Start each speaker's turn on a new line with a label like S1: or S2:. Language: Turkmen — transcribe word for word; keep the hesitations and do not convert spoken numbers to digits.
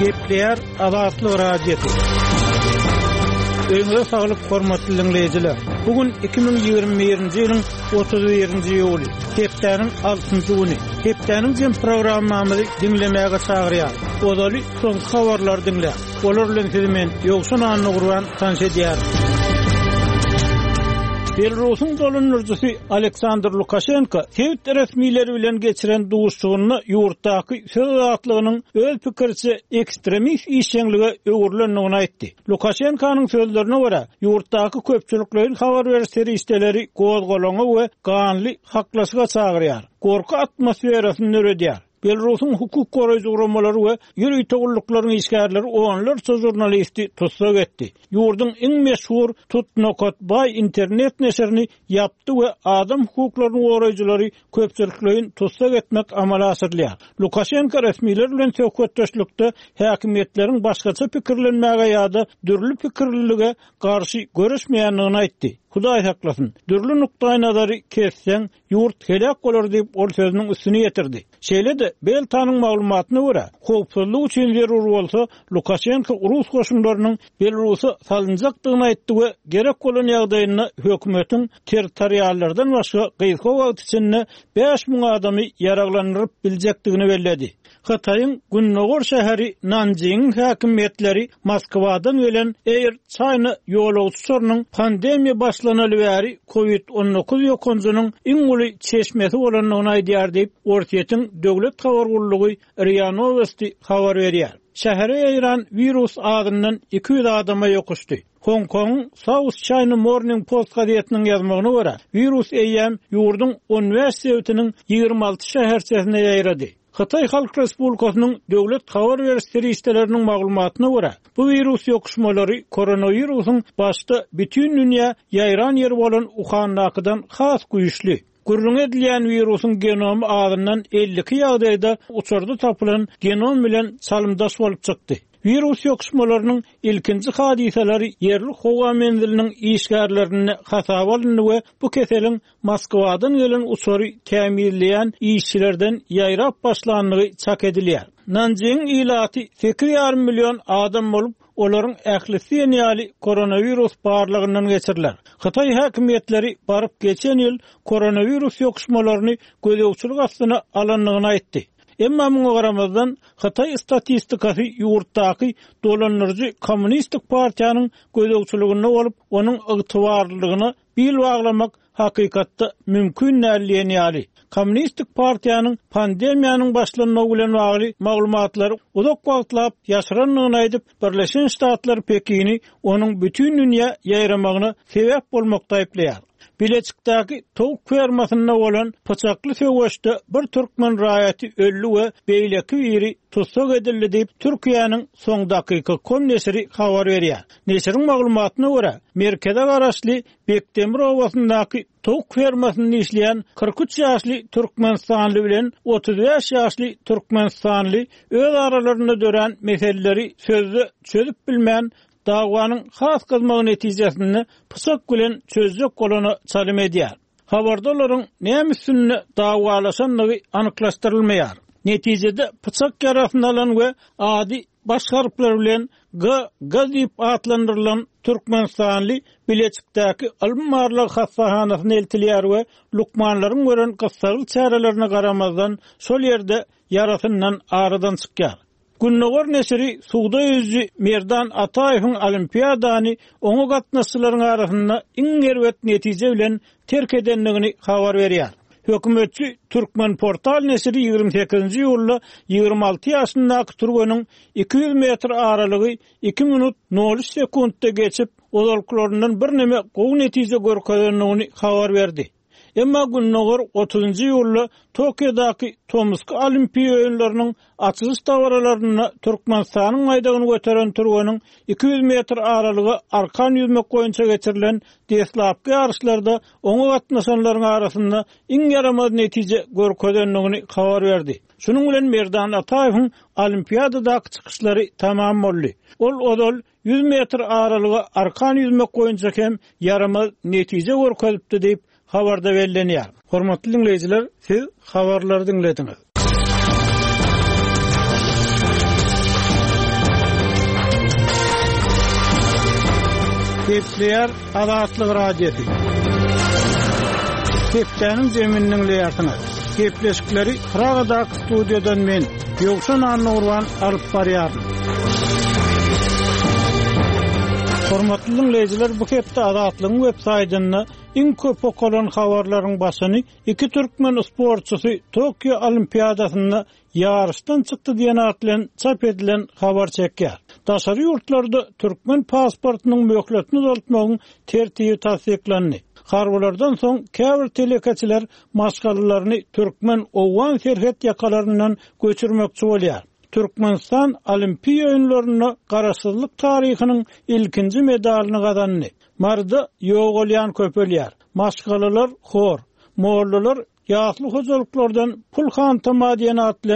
S1: Gepleýär Azatlyk Radiosy. Öýüňize saglyk, hormatly diňleýjiler. Bu gün iki müň ýigrimi birinji ýylyň otuz birinji iýuly, hepdäniň altynjy güni. Hepdäniň jem programmamyzy diňlemäge çagyrýar. Ozaly soňky habarlary diňläň. Olar bilen sizi men Ýowşan Annagurban tanyş edýärin. Belarusyň dolandyryjysy Aleksandr Lukaşenko sebit resmileri bilen geçiren duşuşygynda ýurtdaky söz azatlygynyň öz pikirçe ekstremist işjeňlige öwrülendigini aýtdy. Lukaşenkonyň sözlerine görä, ýurtdaky köpçülikleýin habar beriş serişdeleri gozgalaňa we ganly haklaşyga çagyrýar. Gorky atmosferasyny döredýär. Belarusyň hukuk goraýjy guramalary we ýörite gulluklaryň işgärleri onlarça žurnalisti tussag etdi. Ýurduň iň meşhur Tutnokat Bay internet neşirini ýapdy we adam hukuklaryny goraýjylary köpçülikleýin tussag etmek amala aşyrylýar. Lukaşenko resmiler bilen söhbetdeşlikde häkimiýetleriň başgaça pikirlenmäge ýa-da dürli pikirlilige garşy görüşmeýändigini aýtdy. Hudaý saklasyn, dürli nukdaý nazary kesseň, ýurt helak bolar diýip ol sözüniň üstüne ýetirdi. Şeýle-de Beltanyň maglumatyna görä, howpsuzlyk üçin zerur bolsa Lukaşenko Rus goşunlarynyň Belarusa salynjakdygyny aýtdy we gerek bolan ýagdaýynda hökümetiň territoriallardan başga gysga wagt içinde bäş müň adamy ýaraglandyryp biljekdigini belledi. Hytaýyň Gündogar şäheri Nanjingiň häkimiýetleri Moskwadan gelen Air China ýolagçy uçarynyň pandemiýa başlanaly bäri COVID on dokuz ýokanjynyň iň uly çeşmesi bolandygyny aýdýar diýip, Orsýetiň döwlet habar gullugy RIA Novosti habar berýär. Şähere ýaýran wirus adyndan iki ýüz adama ýokuşdy. Hong Kong'un South China Morning Post gazetiniň ýazmagyna görä, wirus eýýäm ýurduň on bäş sebitiniň ýigrimi alty şäherçesine ýaýrady. Hytaý Halk Respublikasynyň döwlet habar beriş serişdeleriniň maglumatyna görä, bu wirus ýokuşmalary koronawirusyň başda bütün dünýä ýaýran ýeri bolan Wuhandakydan has güýçli. Gürrüň edilýän wirusyň genomy azyndan elli iki ýagdaýda uçarda tapylan genom bilen çalymdaş bolup çykdy. Wirus ýokuşmalarynyň ilkinji hadysalary ýerli howa menziliniň işgärlerinde hasaba alyndy we bu keseliň Moskwadan gelen uçary tämizleýän işçilerden ýaýrap başlandygy çak edilýär. Nanjingiň ilaty sekiz ýarym million adam bolup, olaryň ählisi ýaly koronawirus barlygyndan geçiriler. Hytaý häkimiýetleri baryp geçen ýyl koronawirus ýokuşmalaryny gözegçilik astyna alandygyny aýtdy. Emma muňa garamazdan Hytaý statistikasy ýurtdaky dolandyryjy kommunistik partiýanyň gözegçiliginde bolup, onuň ygtybarlylygyna bil baglamak hakykatda mümkin däl diýen ýaly. Kommunistik partiýanyň pandemiýanyň başlanmagy bilen bagly maglumatlary uzak wagtlap ýaşyrandygyny aýdyp, Birleşen Ştatlar Pekini onuň bütün dünýä ýaýramagyna sebäp bolmakda aýyplaýar. Bileçikdäki towuk fermasynda bolan pyçakly söweşde bir türkmen raýaty öldi we beýleki biri tussag edildi diýip, Türkiýäniň soň dakyka kom neşiri habar berýär. Neşiriň maglumatyna görä, merkeze garaşly Bekdemir obasyndaky towuk fermasynda işleýän kyrk üç ýaşly Türkmenistanly bilen otuz bäş ýaşly Türkmenistanly öz aralarynda dörän meseleleri sözde çözüp bilmän, dawanyň has gyzmagy netijesinde pyçak bilen çözjek bolana çalym edýär. Habarda olaryň näme üstünde dawalaşandygy anyklaşdyrylmaýar. Netijede pyçak ýarasyny alan we ady baş harplar bilen G, G diýip atlandyrylan Türkmenistanly Bileçikdäki ylym barlag hassahanasyna eltilýär we lukmanlaryň gören gyssagly çärelerine garamazdan şol ýerde ýarasyndan aradan çykýar. Gündogar neşiri suwda ýüzüji Merdan Ataýewiň olimpiadany oňa gatnaşyjylaryň arasynda iň erbet netije bilen terk edendigini habar berýär. Hökümetçi Türkmen portal neşiri ýigrimi sekizinji iýulda ýigrimi alty ýaşyndaky türgeniň iki ýüz metr aralygy iki minut nol üç sekuntda geçip, ozalkylaryndan birneme gowy netije görkezendigini habar berdi. Emma Gündogar otuzynjy iýulda Tokiodaky Tomusky Olimpiýa oýunlarynyň açylyş dabaralarynda Türkmenistanyň baýdagyny göteren türgeniň iki ýüz metr aralyga arkan ýüzmek boýunça geçirilen deslapky ýaryşlarda oňa gatnaşanlaryň arasynda iň ýaramaz netije görkezendigini habar berdi. Şunuň bilen Merdan Ataýewiň olimpiadadaky çykyşlary tamam boldy. Ol ozal ýüz metr aralyga arkan ýüzmek boýunça hem ýaramaz netije görkezipdi diýip habarda bellenýär. Hormatly dinleýjiler, siz habarlary dinlediňiz. Gepleýär Azatlyk Radiosy. Hepdäniň jemini diňleýärsiňiz. Gepleşikleri Pragadaky studiýadan men, Ýowşan Annagurban alyp barýaryn. Hormatly dinleýjiler, bu hepde Azatlygyň web saýtynda iň köp okalan habarlaryň başyny iki türkmen sportçysy Tokio Olimpiadasynda ýaryşdan çykdy diýen at bilen çap edilen habar çekýär. Daşary ýurtlarda türkmen pasportynyň möhletini uzaltmagyň tertibi tassyklandy. Harbylardan soň käbir telekeçiler maşgalalaryny türkmen owgan serhet ýakalaryndan göçürmekçi bolýar. Türkmenistan Olimpiýa oýunlarynda garaşsyzlyk taryhynyň ilkinji medalyny gazandy. Maryda ýogalýan köpelýär. Maşgalalar hor, mollalar ýasly hojalyklardan pul hantama diýen at bilen